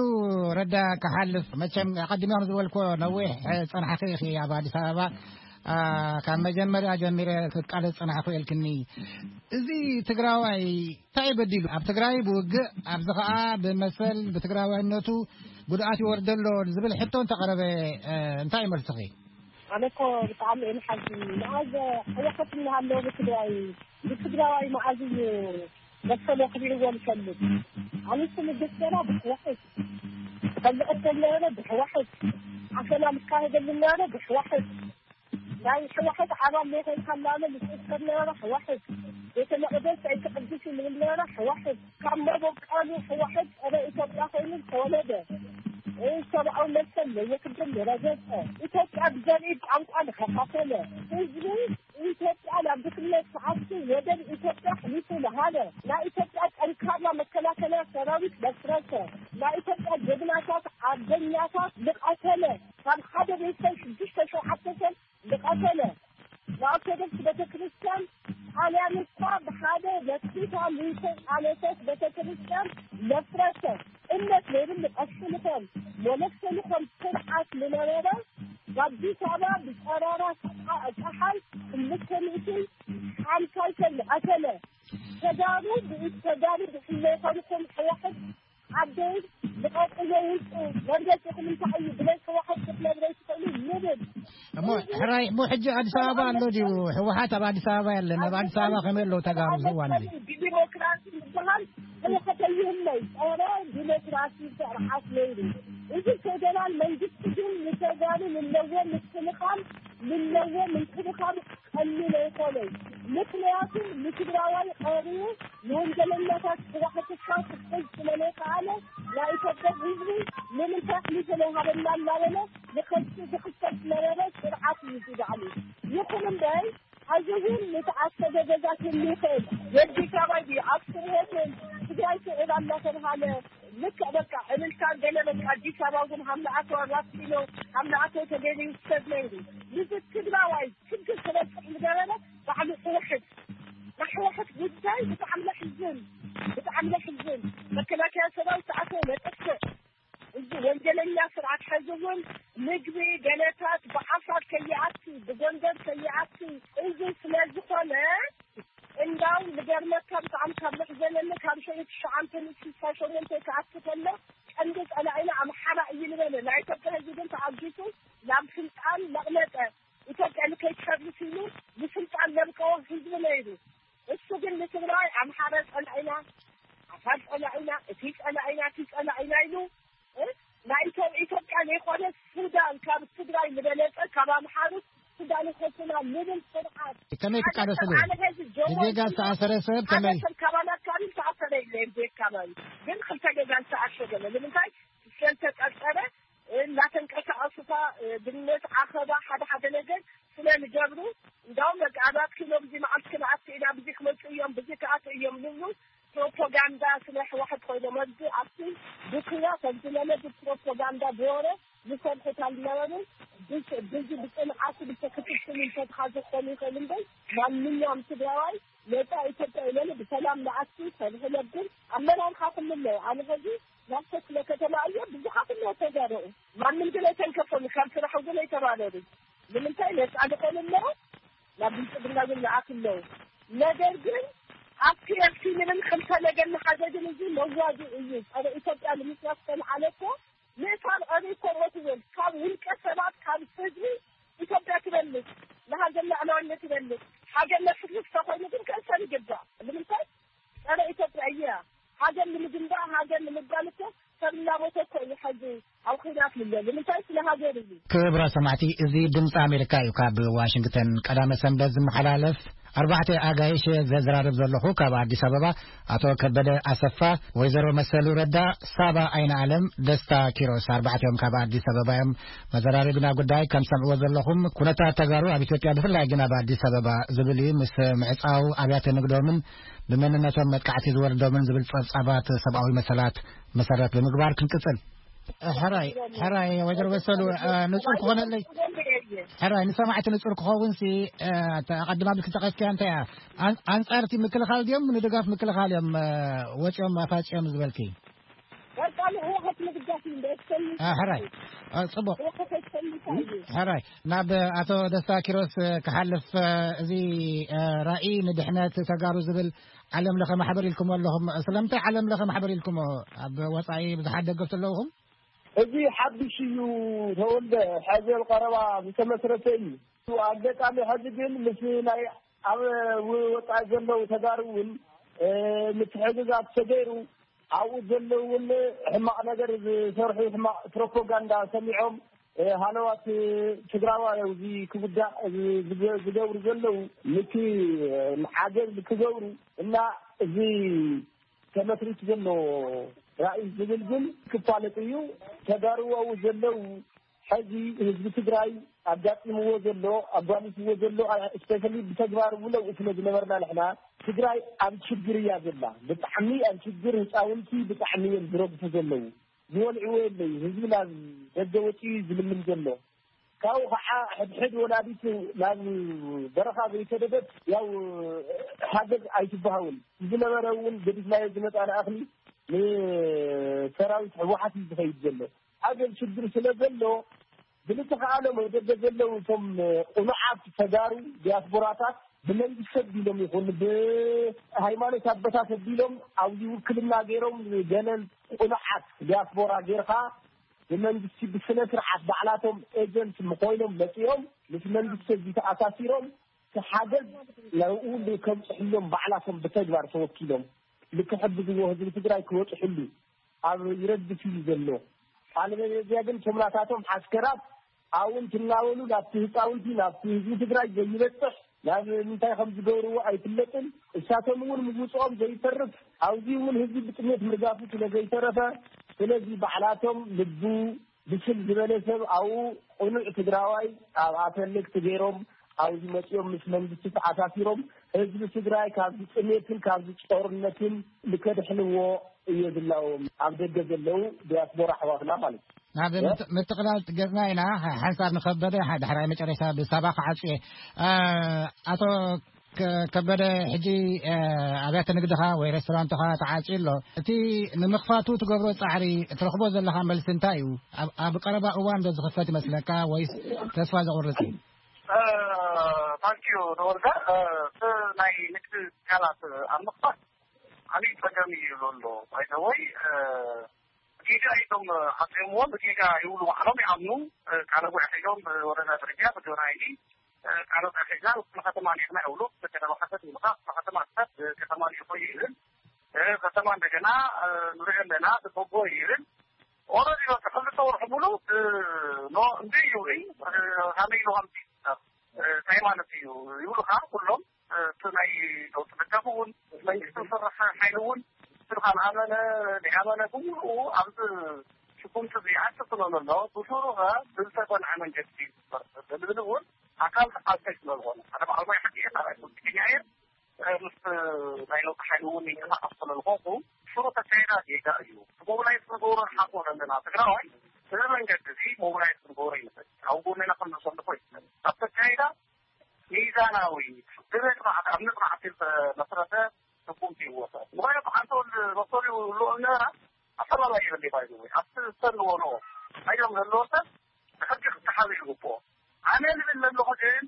ረዳ ክሓልፍ፣ መቸም ኣቐዲመ ከም ዝበልኮ ነዊሕ ጸናሕኺ ኢኺ ኣብ ኣዲስ ኣበባ። ካብ መጀመርያ ጀሚረ ክቃለስ ጸናሕኩ ኢልክኒ። እዚ ትግራዋይ እንታይ በዲሉ? ኣብ ትግራይ ብውግእ፣ ኣብዚ ኸኣ ብመሰል ብትግራዋይነቱ ጉድኣት ይወርደሎ ዝብል ሕቶ እንተቐረበ እንታይ መልስኺ? ኣነ እኮ ብጣዕሚ እየ ንሓዝን። መኣዝ ሕወሓት እናሃለወ ብትግራይ፣ ብትግራዋይ መኣዝ እዩ መሰሎ ክሪእዎ ዝፈልጥ? ኣነስ ንግስ ገና ብሕወሓት፣ ከልዕት ከለረ ብሕወሓት፣ ዓፈና ምካሄደሉ ነበረ ብሕወሓት። ናይ ሕወሓት ኣባል ዘይኮንካ እናበለ ዝጽከር ነበረ ሕወሓት። ቤተ መቕደስ ኣይትቕድስ ይብል ነበረ ሕወሓት። ካብ መበቀሉ ሕወሓት ጸረ ኢትዮጵያ ኮይኑ ዝተወለደ፣ ሰብኣዊ መሰል ለየክብር ዝረገጸ፣ ኢትዮጵያ ብዘርኢ ቋንቋ ዝኸፋፈለ፣ ህዝቢ ኢትዮጵያ ናብ ድኽነት ክኣቱ ወደብ ኢትዮጵያ ኣሕሊፉ ዝሃበ፣ ናይ ኢትዮጵያ ጠንካራ መከላከልያ ሰራዊት ዘፍረሰ፣ ናይ ኢትዮጵያ ጀግናታት ኣርበኛታት ዝቐተለ፣ ካብ ሓደ ቤተሰብ ሽዱሽተ ሸውዓተ ሰብ ዝቐተለ፣ ንኦርቶዶክስ ቤተክርስትያን ጣልያን እኳ ብሓደ ለኪታ ምንተ ቃለሰት ቤተክርስትያን ዘፍረሰ፣ እምነት ዘይብሉ ቀሺ ልኾን መነኩሰ ልኾን ስርዓት ዝነበረ፣ በኣዲስ ኣበባ ብጠራራ ጸሓ-፣ ጸሓይ ክልተ ሚእቲ ሓምሳ ሰብ ዝቐተለ፣ ተጋሩ ብኢድ ተጋሩ ብፍላይ ኮንኩም ሕወሓት ዓደይ ልቐቅዮ ውጹ፣ መርገጺኹም እንታይ እዩ? ብለይ ሕወሓት ክትነግረይ ትኽእሉ? ንብል። እሞ ሕራይ፣ እሞ ሕጂ ኣዲስ ኣበባ ኣሎ ድዩ? ሕወሓት ኣብ ኣዲስ ኣበባ የለን። ኣብ ኣዲስ ኣበባ ከመይ ኣለዉ ተጋሩ ኣብዚ እዋን እዚ? ብዲሞክራሲ ዝበሃል ሕወሓት ኣይህለይ። ጸረ ዲሞክራሲ ስርዓት ነይሩ። እዚ ፌደራል መንግስቲ ግን ንተጋሩ ንለዎ ምክልኻል፣ ንለዎ ምንክብኻብ ቀሊል ኣይኮነን። ምክንያቱ ንትግራዋይ ቀሪቡ ንወንጀለኛታት ሕወሓትካ ክሕዝ ስለዘይከኣለ፣ ናይ ኢትዮጵያ ህዝቢ ንምንታይ ኣሕሊፉ ዘይሃበና እናበለ ንኸሲ ዝኽሰስ ዝነበረ ስርዓት እዩ እዚ ባዕሉ። ይኹን እምበር፣ ሕዚ እውን ንተዓሰበ ገዛ ክህሉ ይኽእል። የዲስ ኣበባ ድዩ፣ ኣክሱም ሆቴል፣ ትግራይ ስዒባ እናተብሃለ፣ ልክዕ በቃ ዕልልታን ገለ በቃ ኣዲስ ኣበባ እውን ሃምለኣቶ ኣራት ኪሎ፣ ሃምለኣቶ ተገይሩ ይውሰድ ነይሩ። ንዚ ትግራዋይ ችግር ክበፅሕ ዝገበረ ባዕሉ ሕወሓት። ናይ ሕወሓት ጉዳይ ብጣዕሚ ለሕዝን፣ ብጣዕሚ ለሕዝን። መከላከያ ሰራዊት ተኣተወ መጠፍእ። እዚ ወንጀለኛ ስርዓት ሕዚ እውን ምግቢ ገለታት ብዓፋር ከይኣቲ፣ ብጎንደር ከይኣቲ። እዚ ስለ ዝኾነ እንዳው ዝገርመካ ብጣዕሚ ካብ ዘሕዘነኒ ካብ ሸዒ ትሽዓተ ንስሳ ሸሞንተ ክኣቲ ከሎ ቀንዲ ጸላኢና ኣምሓራ እዩ ዝበለ ናይ ኢትዮጵያ ህዝቢ ግን ተዓጊሱ ናብ ስልጣን ለቕለጠ። ኢትዮጵያ ንከይትፈርስ ኢሉ ንስልጣን ለብቀዎ ህዝቢ ነይሩ። እሱ ግን ንትግራይ ኣምሓራ ጸላኢና፣ ዓፋር ጸላኢና፣ እቲ ጸላኢና፣ እቲ ጸላኢና ኢሉ እ? ናይ ኢትዮ-፣ ኢትዮጵያ ዘይኮነ ሱዳን ካብ ትግራይ ዝበለጸ ካብ ኣምሓሩ ሱዳን ይኸሱና ንብል ስርዓት። ከመይ ትቃለስሉ? ሓደ ሰብ ጀሞ ብዜጋ ዝተኣሰረ ሰብ ሓደ ከመይ? ሰብ ካባና ኣካባቢ ዝተኣሰረ የለ፣ ብዘይ ኣካባቢ ግን ክልተ ገዛ ዝተኣሸገ ነው። ንምንታይ? ስለዝተጠርጠረ፣ እናተንቀሳቐሱካ፣ እ፣ ብነት ዓኸባ ሓደ ሓደ ነገር ስለ ዝገብሩ፣ እንዳውም በቃ ኣራት ኪሎ ብዚ መዓልቲ ክንኣቱ ኢና፣ ብዚ ክመፁ እዮም፣ ብዚ ክኣቱ እዮም ንብሉ ፕሮፓጋንዳ ስለ ህወሓት ኮይኖም ኣብዚ ኣብቲ ብኩናት ከምዚ ለለ ብፕሮፓጋንዳ ብወረ ዝሰርሑት ኣልነበሩን። ብስ-፣ ብዚ ብፅንዓቱ ብተክትክል እንተትኻ ዝኾኑ ይኽእል እምበር ማንኛውም ትግራዋይ ነፃ ኢትዮጵያ ኢለሉ ብሰላም ንኣቱ ሰርሑ ነብር ኣመራርሓ ክልለ ኣነ ሕዚ ናብ ክፍለ ከተማ እየ ብዙሓት እነ ተጋሩ ማንም ግን ኣይተንከፈሉ ካብ ስራሕ እውን ኣይተባረሩ። ንምንታይ ነፃ ዝኾኑ ኣለዉ ናብ ብልፅግና ግን ንኣት ኣለዉ። ነገር ግን ኣብቲ ኤፍሲ ምንም ክልተ ነገር ንሓዘ ግን እዚ መዋዲ እዩ። ጸረ ኢትዮጵያ ንምስራት ዝተልዓለ እኮ ምእሳር ኣበይ እኮ ሞት ይብል ካብ ውልቀ ሰባት ካብ ህዝቢ ኢትዮጵያ ትበልጽ ንሃገር ላዕለዋይነት ትበልጽ ሃገር ነፍርስ ተኮይኑ ግን ከእሰር ይግባእ። ንምንታይ ጸረ ኢትዮጵያ እያ። ሃገር ንምግንባእ ሃገር ንምባል እኮ ሰብ እናሞተ እኮ እዩ። ሕዚ ኣብ ኲናት ምለ ንምንታይ ስለ ሃገር እዩ። ክብራ ሰማዕቲ፣ እዚ ድምፂ ኣሜሪካ እዩ። ካብ ዋሽንግተን ቀዳመ ሰንበት ዝመሓላለፍ ኣርባዕተ ኣጋይሽ ዘዘራርብ ዘለኹ ካብ ኣዲስ ኣበባ ኣቶ ከበደ ኣሰፋ፣ ወይዘሮ መሰሉ ረዳ፣ ሳባ ኣይነ ኣለም፣ ደስታ ኪሮስ ኣርባዕቲኦም ካብ ኣዲስ ኣበባ እዮም። መዘራረቢና ጉዳይ ከም ሰምዕዎ ዘለኹም ኩነታት ተጋሩ ኣብ ኢትዮጵያ ብፍላይ ግን ኣብ ኣዲስ ኣበባ ዝብል እዩ። ምስ ምዕፃው ኣብያተ ንግዶምን ብመንነቶም መጥቃዕቲ ዝወርዶምን ዝብል ፀብፃባት ሰብኣዊ መሰላት መሰረት ብምግባር ክንቅፅል። ሕራይ ሕራይ ወይዘሮ መሰሉ ንፁር ክኾነለይ ሕራይ ንሰማዕቲ ንጹር ክኸውን ሲ ኣቐድማ ብልክ ተቐስኪያ እንታይ እያ? ኣንጻርቲ ምክልኻል ድዮም ንድጋፍ ምክልኻል እዮም? ወፂኦም ኣፋፂኦም ዝበልኪ? ሕራይ። ፅቡቅ። ሕራይ ናብ ኣቶ ደስታ ኪሮስ ክሓልፍ፣ እዚ ራእይ ንድሕነት ተጋሩ ዝብል ዓለም ለኸ ማሕበር ኢልኩም ኣለኹም። ስለምንታይ ዓለም ለኸ ማሕበር ኢልኩም? ኣብ ወፃኢ ብዙሓት ደገፍቲ ኣለውኹም። እዚ ሓድሽ እዩ። ተወልደ፣ ሕዚ ቀረባ ዝተመስረተ እዩ። ኣጋጣሚ ሕዚ ግን ምስ ናይ ኣብ ወፃኢ ዘለዉ ተጋሩ እውን ምትሕግጋዝ ተገይሩ ኣብኡ ዘለዉ እውን ሕማቕ ነገር ዝሰርሑ ሕማቕ ፕሮፓጋንዳ ሰሚዖም ሃለዋት ትግራዋይ እዚ ክጉዳእ ዝገብሩ ዘለዉ ንቲ ሓገዝ ክገብሩ እና እዚ ተመስሪቱ ዘሎ ራእይ ዝብል ግን ክፋለጥ እዩ። ተጋሩ ኣብኡ ዘለዉ ሕዚ ህዝቢ ትግራይ ኣጋጢምዎ ዘሎ ኣጓኒፍዎ ዘሎ ስፔሻሊ ብተግባር እውን ኣብኡ ስለ ዝነበርና ንሕና ትግራይ ኣብ ሽግር እያ ዘላ። ብጣዕሚ ኣብ ሽግር ህፃውንቲ ብጣዕሚ እዮም ዝረግፉ ዘለዉ። ዝወልዕዎ የለዩ። ህዝቢ ናብ ደገ ወፂኡ እዩ ዝልምን ዘሎ። ካብኡ ከዓ ሕድሕድ ወላዲት ናብ በረኻ ዘይሰደደት ያው ሓገዝ ኣይትበሃውን። ዝነበረ እውን ገዲፍናዮ ዝመፃና እኽሊ ንሰራዊት ህወሓት እዩ ዝኸይድ ዘሎ። ሓገዝ ሽግር ስለ ዘሎ ብልተኸኣሎም ኣብ ደገ ዘለዉ እቶም ቁኑዓት ተጋሩ ዲያስፖራታት ብመንግስቲ ኣቢሎም ይኹን ብሃይማኖት ኣቦታት ኣቢሎም ኣብዚ ውክልና ገይሮም ገለ ቁኑዓት ዲያስፖራ ጌርካ ብመንግስቲ ብስነ ስርዓት ባዕላቶም ኤጀንት ምኮይኖም መፂኦም ምስ መንግስቲ እዚ ተኣሳሲሮም ሓገዝ ናብኡ ከምፅሕሎም ባዕላቶም ብተግባር ተወኪሎም ንክሕግዝዎ ህዝቢ ትግራይ ክወፅሕሉ ኣብ ይረግፍ እዩ ዘሎ። ኣለበለዚያ ግን እቶም ናታቶም ሓስከራት ኣብኡ እንትናበሉ ናብቲ ህፃውንቲ ናብቲ ህዝቢ ትግራይ ዘይበፅሕ ናብ ምንታይ ከም ዝገብርዎ ኣይፍለጥን። እሳቶም እውን ምውፅኦም ዘይተርፍ ኣብዚ እውን ህዝቢ ብጥሜት ምርጋፉ ስለ ዘይተረፈ ስለዚ ባዕላቶም ልቡ ብስል ዝበለ ሰብ ኣብኡ ቅኑዕ ትግራዋይ ኣብ ኣፈለግቲ ገይሮም ኣብዚ መፂኦም ምስ መንግስቲ ተኣሳሲሮም ህዝቢ ትግራይ ካብዚ ጥሜትን ካብዚ ጦርነትን ንከድሕንዎ እየ ዝላዎም ኣብ ደገ ዘለዉ ዲያስፖራ ኣሕዋትና ማለት እዩ። ናብ ምትቕላል ገፅና ኢና። ሓንሳብ ንከበደ ዳሕራይ መጨረሻ ብሳባ ክዓፅየ። ኣቶ ከበደ ሕጂ ኣብያተ ንግድኻ ወይ ሬስቶራንትኻ ተዓፅዩ ኣሎ። እቲ ንምኽፋቱ ትገብሮ ፃዕሪ ትረኽቦ ዘለኻ መልሲ እንታይ እዩ? ኣብ ቀረባ እዋን ዶ ዝኽፈት ይመስለካ ወይስ ተስፋ ዘቑርፅ እዩ? ታንኪዩ ተወልደ። እቲ ናይ ንግዲ ትካላት ኣብ ምኽፋት ዓብዪ ፀገም እዩ ዘሎ። ባይዘወይ ጌጋ እዮም ሓፂቦምዎ። ብጌጋ ይብሉ ባዕሎም ይኣምኑ። ቃለ ጉባኤ ሒዞም ብወረዳ ደረጃ ብጆራይኒ ቃለ ጉባኤ ሒዝና ንክፍለ ከተማ ኔርና ይብሉ። ከተማ ሓሰት ይብሉካ። ክፍለ ከተማ ሓሰት ከተማ ልኢኾ ይብል። ከተማ እንደገና ንሪኦ ኣለና ተበጎ ይብል። ኦረዲ በቃ ክልተ ወርሒ ሙሉ ኖ እንዲ ይብሉ። ሃመይ ኢሉ ሃምቲ እንታይ ማለት እዩ ይብሉካ ኩሎም። እቲ ናይ ለውጢ ደገፍ እውን መንግስቲ ዝሰርሕ ሓይሊ እውን ስልካ ዝኣመነ ዘይኣመነ ብምሉኡ ኣብዚ ሽኩምቲ እዚ ይኣቱ ስለ ዘሎ ብስሩ ከ ብዝተፀንዐ መንገዲ ዝግበር ዝብል እውን ኣካል ተቃልሳይ ስለ ዝኾነ ሓደ በዓል ሞያ ሕጊ እየ ካልኣይ ፖለቲከኛ እየ ምስ ናይ ለውጢ ሓይሊ እውን ይንቀሳቀስ ስለ ዝኾንኩ ሽሩ ተካይዳ ጌጋ እዩ። ሞብላይዝ ክንገብሮ ንሓስቦ ዘለና ትግራዋይ እዚ መንገዲ እዚ ሞብላይዝ ክንገብሮ ይንኽእል ኣብ ጎንና ክንመሰልፎ ይኽእል ኣብ ተካይዳ ሚዛናዊ ብመጽናዕቲ ኣብ መጽናዕቲ ዝተመስረተ ስጉምቲ ይወሰድ። ምኽንያቱ ሓንቲ ወዲ መሰሉ ይውልኦ ዝነበራ ኣፈላላይ የብለይ ባይዘወይ ኣብቲ ዝሰልዎ ኖ ኣዮም ዘለዎ ሰብ ብሕጊ ክተሓዘ ይግብኦ። ኣነ ዝብል ዘለኹ ግን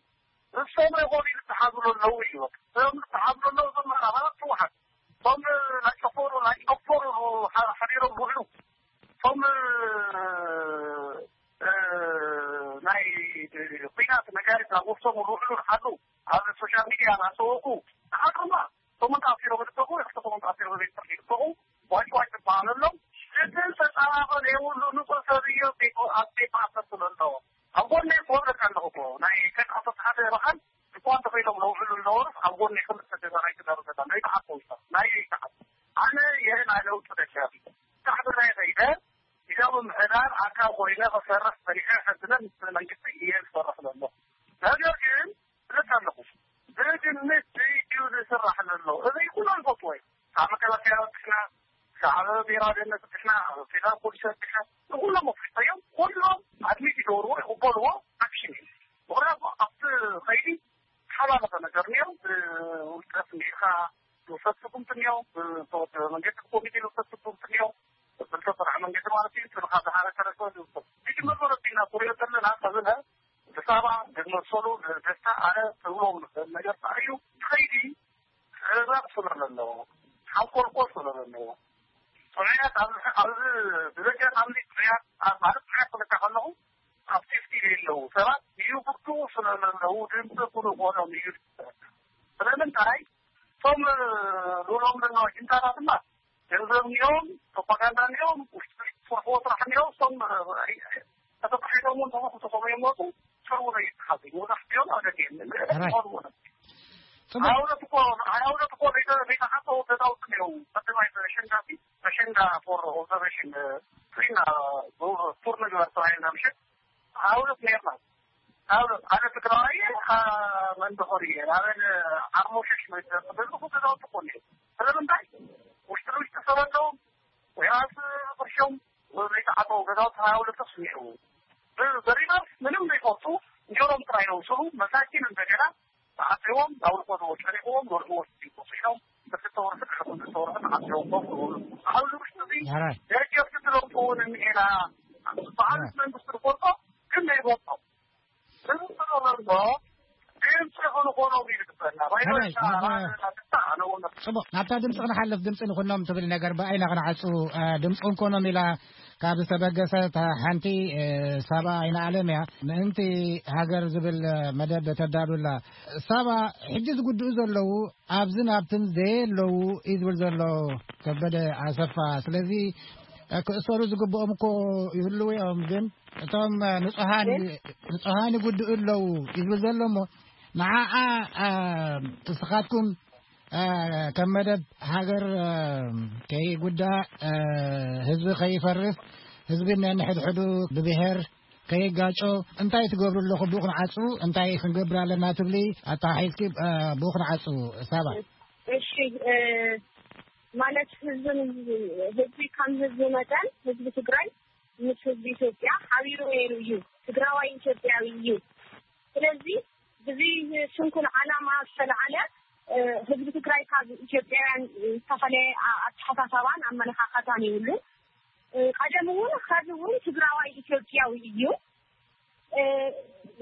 ንሶም ይኾኑ ይተሓዙ ኣለዉ እዩ። እዞም ዝተሓዙ ኣለዉ እዞም ኣባላት ህወሓት እቶም ናይ ጨፈሩ ናይ ጨፈሩ ሓዲሮም ዝውዕሉ እቶም ናይ ኲናት ነጋሪት ናብ ወፍሶም ዝውዕሉ ንሓዱ ኣብ ሶሻል ሚድያ እናሰወቁ ንሓዱማ ሰሙን ተኣሲሮም ይልቀቑ፣ ክልተ ሰሙን ተኣሲሮም ቤት ፍርዲ ይልቀቑ፣ ዋጭ ዋጭ ይበሃል ኣሎ። ግን ተፃባበ ዘይብሉ ንፁህ ሰብ እዮ ኣብ ቤት ማእሰርቲ ዘሎ። ኣብ ጎነይ ክወርድ ኣለኹ እኮ ናይ ከን ኣቶ ሰዓደ በዓል ድኳን ተኺሎም ነውዕሉ ነበሩስ ኣብ ጎነይ ክልተ ገዛ ናይ ትዳሩ ገዛ ናይ በዓል ሰውሳ ናይ ዘይተዓብ ኣነ ይህ ናይ ለውጢ ደጋፊ ሳዕቢ ናይ ኸይደ ኢዛ ምምሕዳር ኣካል ኮይነ ክሰርሕ ጸኒሐ ሕዝነ ምስ መንግስቲ እየ ዝሰርሕ ዘሎ። ነገር ግን እብል ኣለኹ ብግምት እዩ ዝስራሕ ዘሎ። እዚ ኩሎም ይፈልጥዎ እዮም። ካብ መከላከያ ወጥሕና፣ ካብ ብሔራዊ ደህንነት ወጥሕና፣ ካብ ፌደራል ፖሊስ ወጥሕና፣ ንኩሎም ኣፍሊጠዮም። ኩሎም ኣድሚት ይገብርዎ፣ ይቕበልዎ፣ ኣክሽን እዩ። እንዲኻ ዝውሰድ ስጉምቲ እኒኦ፣ ብዝተወደበ መንገዲ ኮሚቴ ዝውሰድ ስጉምቲ እኒኦ፣ ብዝተሰርሐ መንገዲ ማለት እዩ። ስልኻ ዝሃበ ተረከበ ዝውሰድ። እቲ መሰረት ኢና ክሪኦ ዘለና ከብለ ብሳባ ዝመሰሉ ደስታ ኣነ ትብሎም ንኽእል ነገር እዩ። ከይዲ ሕዛብ ስለ ዘለዎ፣ ሓንኮልኮል ስለ ዘለዎ፣ ጥዑያት ኣብዚ ኣብዚ ብዘጋጣሚ ጥዑያት ኣብ ማለት ጥዑያት ክልካ ከለኹ ኣብ ሴፍቲ የለዉ ሰባት ይጉድኡ ስለ ዘለዉ ድምፂ ኩሉ ኮኖም እዩ። ስለምንታይ እቶም ሉሎም ዘለዋ ጅንታታትና ገንዘብ እኒኦም፣ ፕሮፓጋንዳ እኒኦም፣ ውሽጢ ውሽጢ ዝሰርሕዎ ስራሕ እኒኦም፣ እቶም ተተባሒሎም እውን ተመክቶ ከመ ይመፁ ሰው ነው ይተሓዙ። መብዛሕትኦም ኣብ ደገ የለን። ሕራይ። ዝኾኑ እውን ጽቡቅ። ኣውለት እኮ ኣውለት እኮ ዘይተ- ዘይተሓሰቡ ገዛውቲ እኒኦም። ቀዳማይ በሸንዳ ሲ በሸንዳ ፎር ኦብዘርቬሽን ስሪና ቱር ንግበር ተባሂልና ምሸት ኣውለት ነርና። ኣውለት ኣነ ትግራዋይ መንደኾር እየ ናበን ዓርሞሸሽ መዝገብሉ ገዛውቲ እኮ እኒኦም። ስለምንታይ ውሽጢ ውሽጢ ሰበለዎም ወይ ኣብ ቅርሾም ዘይተዓጠው ገዛውቲ ሃያ ሁለት ተስሚዑ። በሪባስ ምንም ዘይፈልጡ እንጀሮም ጥራይ ነው ስሉ መሳኪን እንደገና ተዓፅዎም ናብ ርቆ ተወጨሪዎም ወርሕዎ ሲኖም ብክልተ ወርሒ ክልተ ወርሒ ተዓፅዎም ኮፍ ክብሉ። ኣብዚ ውሽጢ እዚ ሕራይ። ደገፍቲ ስለውጡ እውን እኒኤና በዓል ሕራይ። መንግስቲ ዝፈልጦ ግን ዘይፈልጦ። ጽቡቕ፣ ናብታ ድምፂ ክንሓልፍ፣ ድምፂ ንኹኖም ትብል ነገር ብኣይና ክንዓፁ ድምፂ ንኮኖም ኢላ ካብ ዝተበገሰት ሓንቲ ሳባ ኣይነ ኣለም እያ። ምእንቲ ሃገር ዝብል መደብ ተዳሉላ። ሳባ፣ ሕጂ ዝጉድኡ ዘለዉ ኣብዝን ኣብትን ዘየለዉ እዩ ዝብል ዘሎ ከበደ ኣሰፋ። ስለዚ ክእሰሩ ዝግብኦም እኮ ይህልዉ እዮም፣ ግን እቶም ንጹሃን ንጹሃን ይጉድኡ ኣለዉ ይብል ዘሎ እሞ ንዓኣ ንስኻትኩም ከም መደብ ሃገር ከይጉዳእ፣ ህዝቢ ከይፈርስ፣ ህዝቢ ነንሕድሕዱ ብብሔር ከይጋጮ እንታይ ትገብሩ ኣለኹም? ብኡ ክንዓጹ እንታይ ክንገብር ኣለና ትብሊ? ኣተሓሒዝኪ ብኡ ክንዓጹ ሳባ። እሺ፣ ማለት ህዝብን ህዝቢ ከም ህዝቢ መጠን ህዝቢ ትግራይ ምስ ህዝቢ ኢትዮጵያ ሓቢሩ ነይሩ እዩ። ትግራዋይ ኢትዮጵያዊ እዩ። ስለዚ ብዚ ስንኩል ዓላማ ዝተለዓለ ህዝቢ ትግራይ ካብ ኢትዮጵያውያን ዝተፈለየ ኣተሓሳሰባን ኣመለኻኸታን የብሉ። ቀደም እውን ኸዚ እውን ትግራዋይ ኢትዮጵያዊ እዩ።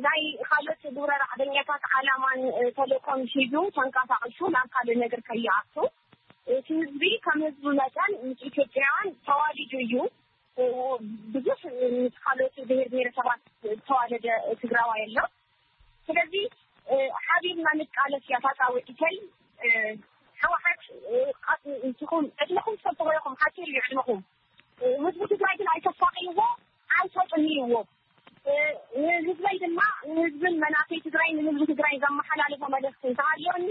ናይ ካልኦት ግብረ ራዕደኛታት ዓላማን ተልእኮን ሒዙ ተንቀሳቒሱ ናብ ካልእ ነገር ከይኣቱ እቲ ህዝቢ ከም ህዝቢ መጠን ምስ ኢትዮጵያውያን ተዋሊዱ እዩ። ብዙሕ ምስ ካልኦት ብሔር ብሔረሰባት ዝተዋለደ ትግራዋይ ኣሎ። ስለዚ ሓቢርና ንቃለስ እያ ፋፃ ወዲተይ። ሕወሓት ንስኹም ዕድመኹም ትፈልጥዎ ኢኹም፣ ሓፂር እዩ ዕድመኹም። ህዝቢ ትግራይ ግን ኣይተሳቅይዎ፣ ኣይተጥምይዎ። ንህዝበይ ድማ ንህዝብን መናፍይ ትግራይ ንህዝቢ ትግራይ ዘመሓላልፎ መልእክቲ እንተሃልዮኒ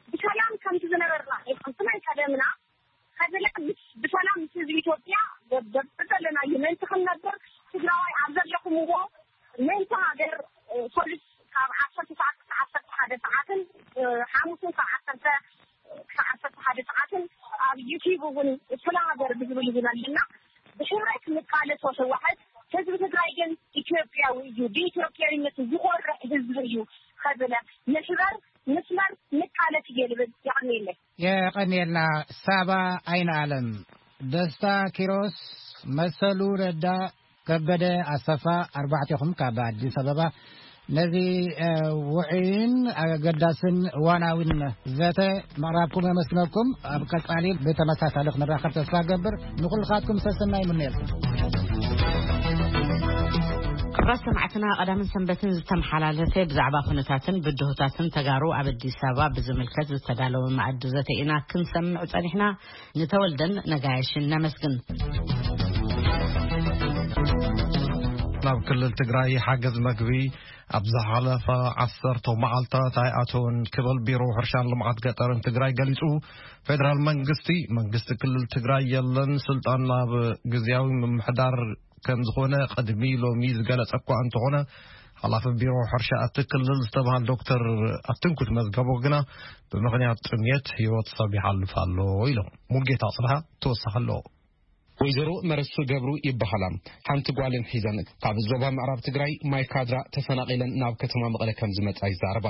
ብሰላም ከምቲ ዝነበርና ከምቲ ናይ ቀደምና ከዘላ ምስ ብሰላም ምስ ህዝቢ ኢትዮጵያ ደብደብ ዘለናዮ ምእንቲ ክንነብር ትግራዋይ ኣብ ዘለኹምዎ ምእንቲ ሃገር ሶሉስ ካብ ዓሰርተ ሰዓት ክሳብ ዓሰርተ ሓደ ሰዓትን ሓሙስን ካብ ዓሰርተ ክሳብ ዓሰርተ ሓደ ሰዓትን ኣብ ዩቲዩብ እውን ስለ ሃገር ብዝብል እውን ኣለና። ብሕብረት ንቃለሶ ህወሓት ህዝቢ ትግራይ ግን ኢትዮጵያዊ እዩ። ብኢትዮጵያዊነት ዝኾርዕ ህዝቢ እዩ። ከብለ ንሕበር ንስመር ንቃለስ እየ ልብል። የቐንየለይ። የቐንየልና ሳባ ኣይነ ኣለም። ደስታ ኪሮስ፣ መሰሉ ረዳ፣ ከበደ ኣሰፋ፣ ኣርባዕቴኹም ካብ ኣዲስ ኣበባ ነዚ ውዑይን ኣገዳስን እዋናዊን ዘተ ምቕራብኩም የመስግነኩም። ኣብ ቀጻሊ ብተመሳሳሊ ክንራኸብ ተስፋ ገብር። ንኹልኻትኩም ሰሰናይ ምንየልኩም። ክብራት ሰማዕትና፣ ቀዳምን ሰንበትን ዝተመሓላለፈ ብዛዕባ ኩነታትን ብድሆታትን ተጋሩ ኣብ ኣዲስ ኣበባ ብዝምልከት ዝተዳለወ መኣዲ ዘተ ኢና ክንሰምዕ ጸኒሕና። ንተወልደን ነጋየሽን ነመስግን። ናብ ክልል ትግራይ ሓገዝ መግቢ ኣብ ዝሓለፈ ዓሰርተ መዓልታት ኣይኣተወን ክብል ቢሮ ሕርሻን ልምዓት ገጠርን ትግራይ ገሊጹ። ፌደራል መንግስቲ፣ መንግስቲ ክልል ትግራይ የለን፣ ስልጣን ናብ ግዝያዊ ምምሕዳር ከም ዝኾነ ቅድሚ ሎሚ ዝገለጸ እኳ እንተኾነ፣ ሓላፊ ቢሮ ሕርሻ እቲ ክልል ዝተባህል ዶክተር ኣትንኩት መዝገቦ ግና ብምኽንያት ጥምየት ህይወት ሰብ ይሓልፍ ኣሎ ኢሎም። ሙልጌታ ኣጽብሃ ተወሳኺ ኣለዎ። ወይዘሮ መረሱ ገብሩ ይበሃላ። ሓንቲ ጓልን ሒዘን ካብ ዞባ ምዕራብ ትግራይ ማይ ካድራ ተፈናቒለን ናብ ከተማ መቐለ ከም ዝመጻ ይዛረባ።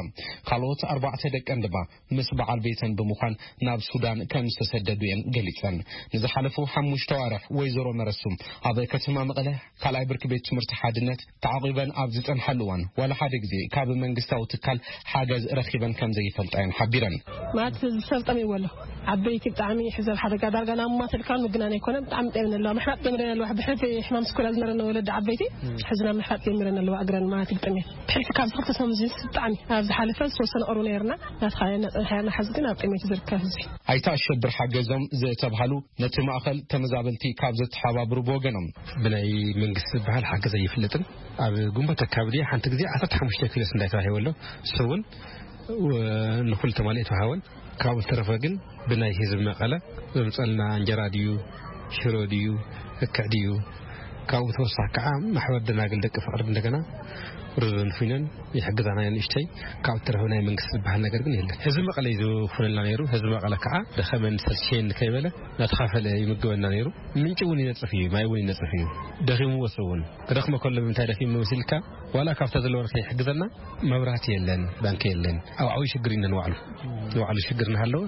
ካልኦት ኣርባዕተ ደቀን ድማ ምስ በዓል ቤተን ብምዃን ናብ ሱዳን ከም ዝተሰደዱ እየን ገሊጸን። ንዝሓለፉ ሓሙሽተ ኣዋርሕ ወይዘሮ መረሱ ኣብ ከተማ መቐለ ካልኣይ ብርኪ ቤት ትምህርቲ ሓድነት ተዓቒበን ኣብ ዝጸንሓሉ እዋን ዋላ ሓደ ግዜ ካብ መንግስታዊ ትካል ሓገዝ ረኺበን ከም ዘይፈልጣ እየን ሓቢረን። ማለት ሰብ ጠሚዎ ኣሎ። ዓበይቲ ብጣዕሚ ሕዘብ ሓደጋ ዳርጋ ናብ ማት ልካን ምግናን ኣይኮነ፣ ብጣዕሚ ጠሚን ኣለዋ። ምሕራጥ ጀምረን ኣለዋ። ብሕልፊ ሕማም ስኩላ ዝነበረን ወለዲ ዓበይቲ ሕዚ ናብ ምሕራጥ ጀምረን ኣለዋ። እግረን ማለት ይጥምየን። ብሕልፊ ካብ ዝኽልተ ሰሙን ዝስ ብጣዕሚ ኣብ ዝሓለፈ ዝተወሰነ ቁሩብ ነይርና። ናትኻ ነጽንሓ ያና ሓዚ ግን ኣብ ጥሜት ዝርከብ ህዝቢ። ኣይተ ኣሸብር ሓገዞም ዝተብሃሉ ነቲ ማእኸል ተመዛበልቲ ካብ ዘተሓባብሩ ብወገኖም፣ ብናይ መንግስቲ ዝበሃል ሓገዝ ኣይፍለጥን። ኣብ ግንቦት ኣካባቢ ሓንቲ ግዜ ዓሰርተ ሓሙሽተ ኪሎ ስንዳይ ተዋሂቡ ኣሎ። እሱ እውን ንኹሉ ተማሊኡ ተዋሃወን። ካብኡ ዝተረፈ ግን ብናይ ህዝቢ መቐለ ዘምፀልና እንጀራ ድዩ፣ ሽሮ ድዩ፣ እክዕ ድዩ፣ ካብኡ ተወሳኺ ከዓ ማሕበር ደናግል ደቂ ፍቕሪ እንደገና ሩዝን ፊኖን ይሕግዛና እየን ንእሽተይ። ካብኡ ዝተረፈ ናይ መንግስቲ ዝበሃል ነገር ግን የለን። ህዝቢ መቐለ እዩ ዝኹነልና ነይሩ። ህዝቢ መቐለ ከዓ ደኸመን ሰልቸየን ከይበለ እናተኻፈለ ይምግበና ነይሩ። ምንጪ እውን ይነፅፍ እዩ፣ ማይ እውን ይነፅፍ እዩ። ደኺሙ ወሰ እውን ክደኽመ ከሎ ብምንታይ ደኺሙ መሲልካ፣ ዋላ ካብታ ዘለወ ከይሕግዘና፣ መብራህቲ የለን፣ ባንኪ የለን። ኣብ ዓብዪ ሽግር ኢና ንባዕሉ። ንባዕሉ ሽግር እናሃለወ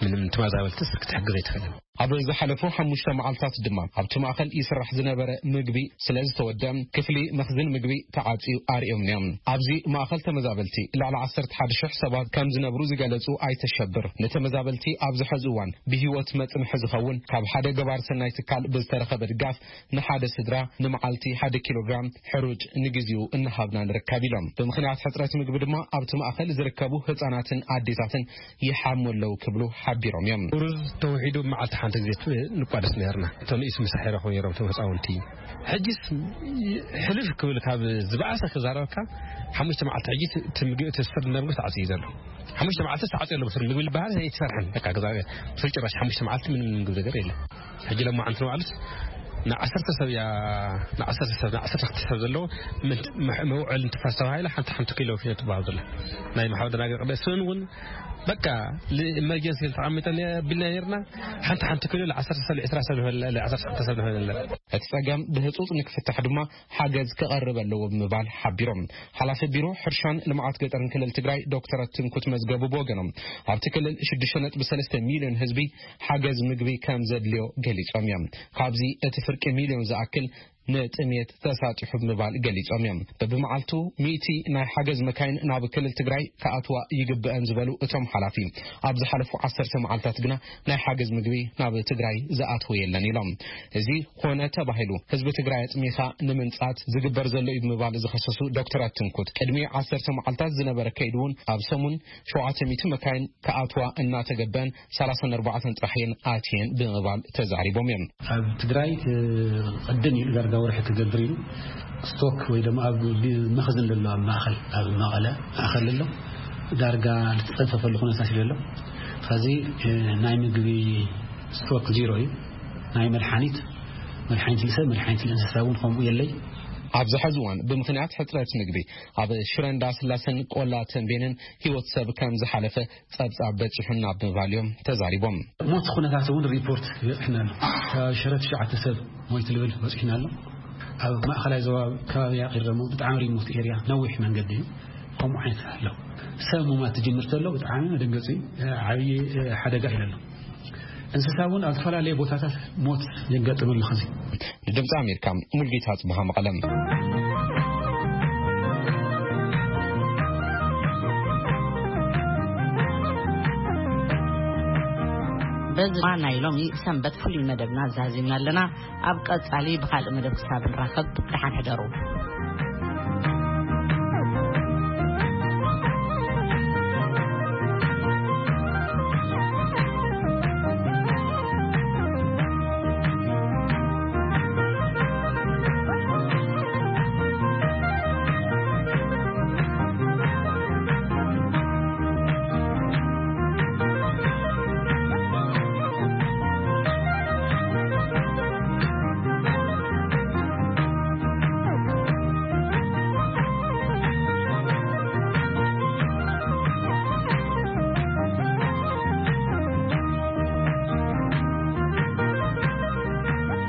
ምንም ተመዛበልትስ ክትሕግዝ ኣይትኽእልን። ኣብ ዝሓለፉ ሓሙሽተ መዓልታት ድማ ኣብቲ ማእኸል ይስራሕ ዝነበረ ምግቢ ስለ ዝተወደአ ክፍሊ መኽዝን ምግቢ ተዓፅዩ ኣርእዮም እዮም። ኣብዚ ማእኸል ተመዛበልቲ ልዕሊ ዓሰርተ ሓደ ሽሕ ሰባት ከም ዝነብሩ ዝገለጹ ኣይተሸብር፣ ንተመዛበልቲ ኣብዚ ሕዚ እዋን ብህይወት መጽንሒ ዝኸውን ካብ ሓደ ገባር ሰናይ ትካል ብዝተረኸበ ድጋፍ ንሓደ ስድራ ንመዓልቲ ሓደ ኪሎግራም ሕሩጭ ንግዜኡ እናሃብና ንርከብ ኢሎም። ብምኽንያት ሕጽረት ምግቢ ድማ ኣብቲ ማእኸል ዝርከቡ ህጻናትን ኣዴታትን ይሓሙ ኣለዉ ክብሉ ሓቢሮም እዮም። ሩዝ ተውሒዱ ብመዓልቲ ሓንቲ ግዜ ት-፣ ንቋደስ ነርና። እቶም ንኢስ ምሳሕ ይረኽቡ ነይሮም፣ እቶም ህፃውንቲ። ሕጂስ ሕልፍ ክብል ካብ ዝበኣሰ ክዛረበካ፣ ሓሙሽተ መዓልቲ ሕጂ እቲ ምግቢ፣ እቲ ስር ነርጉ ተዓፅዩ ዘሎ። ሓሙሽተ መዓልቲ ተዓፅዩ ኣሎ፣ ስር ምግቢ ዝበሃል ኣይተሰርሐን። በቃ፣ ግዛ-፣ ብስሩ ጭራሽ ሓሙሽተ መዓልቲ ምንም ምግቢ ነገር የለን። ሕጂ ለማዓንቲ ንባዕሉስ ንዓሰርተ ሰብ እያ፣ ንዓሰርተ ሰብ፣ ንዓሰርተ ክልተ ሰብ ዘለዎ ምንት-፣ መ-፣ መውዐሊ እንትፋስ ተባሂላ ሓንቲ ሓንቲ ኪሎ ፊኖ ትበሃል ዘላ። ናይ ማሕበር ደናግል ቅዳሴ እውን በቃ፣ ል-፣ ኢመርጀንሲ ተቐሚጠን ቢልና ነርና። ሓንቲ ሓንቲ ኪሎ ለ ዓሰርተ ሰብ፣ ለ ዕስራ ሰብ ንበላ፣ ለ ዓሰርተ ክልተ ሰብ ንበላ። እቲ ጸገም ብህጹጽ ንክፍታሕ ድማ ሓገዝ ክቐርብ ኣለዎ ብምባል ሓቢሮም። ሓላፊ ቢሮ ሕርሻን ልምዓት ገጠርን ክልል ትግራይ ዶክተር ኣትንኩት መዝገቡ ብወገኖም፣ ኣብቲ ክልል ሽዱሽተ ነጥቢ ሰለስተ ሚልዮን ህዝቢ ሓገዝ ምግቢ ከም ዘድልዮ ገሊጾም እዮም። ካብዚ እቲ ፍርቂ ሚልዮን ዝኣክል ንጥሜት ተሳጢሑ ብምባል ገሊጾም እዮም። በብመዓልቱ ሚእቲ ናይ ሓገዝ መካይን ናብ ክልል ትግራይ ክኣትዋ ይግብአን ዝበሉ እቶም ሓላፊ፣ ኣብ ዝሓለፉ ዓሰርተ መዓልታት ግና ናይ ሓገዝ ምግቢ ናብ ትግራይ ዝኣትወ የለን ኢሎም። እዚ ኮነ ተባሂሉ ህዝቢ ትግራይ ኣጽሚኻ ንምንጻት ዝግበር ዘሎ እዩ ብምባል ዝኸሰሱ ዶክተር ኣትንኩት፣ ቅድሚ ዓሰርተ መዓልታት ዝነበረ ከይዱ እውን ኣብ ሰሙን ሸውዓተ ሚእቲ መካይን ክኣትዋ እናተገበአን ሰላሳን ኣርባዕተን ጥራሕ እየን ኣትየን ብምባል ተዛሪቦም እዮም። ኣብ ትግራይ፣ እ፣ ቅድም ኢሉ ዳርጋ ወርሒ ክገብር ኢሉ ስቶክ ወይ ድማ ኣብ ቢ-፣ መኽዝን ዘሎ ኣብ ማእኸል፣ ኣብ መቐለ ማእኸል ኣሎ። ዳርጋ ዝተጸንፈፈሉ ኩነታት እዩ ዘሎ። ስለዚ፣ እ፣ ናይ ምግቢ ስቶክ ዚሮ እዩ። ናይ መድሓኒት፣ መድሓኒት ንሰብ፣ መድሓኒት ንእንስሳ እውን ከምኡ የለይ። ኣብዚ ሕዚ እዋን ብምኽንያት ሕፅረት ምግቢ ኣብ ሽረ እንዳስላሰን ቆላ ተንቤንን ህይወት ሰብ ከም ዝሓለፈ ጸብጻብ በጺሑና ብምባል እዮም ተዛሪቦም። ሞት ኩነታት እውን ሪፖርት ይበጽሕና ኣሎ። ካብ ሽረ ትሽዓተ ሰብ ሞይቱ ልብል በጺሕና ኣሎ። ኣብ ማእኸላይ ዞባ ከባቢ ያቒር ደግሞ ብጣዕሚ ሪሞት ኤርያ፣ ነዊሕ መንገዲ እዩ። ከምኡ ዓይነት ኣሎ። ሰብ ሙማት ትጅምር ተሎ ብጣዕሚ መደንገጺ፣ ዓብዪ ሓደጋ እዩ ኣሎ። እንስሳ እውን ኣብ ዝተፈላለየ ቦታታት ሞት የጋጥም ኣሎ። ኸዚ ንድምፂ ኣሜሪካ ሙልጌታ ጽብሃ መቐለም። በዚ ናይ ሎሚ ሰንበት ፍሉይ መደብና ዛዚምና ኣለና። ኣብ ቀጻሊ ብኻልእ መደብ ክሳብ ንራኸብ ደሓን ሕደሩ።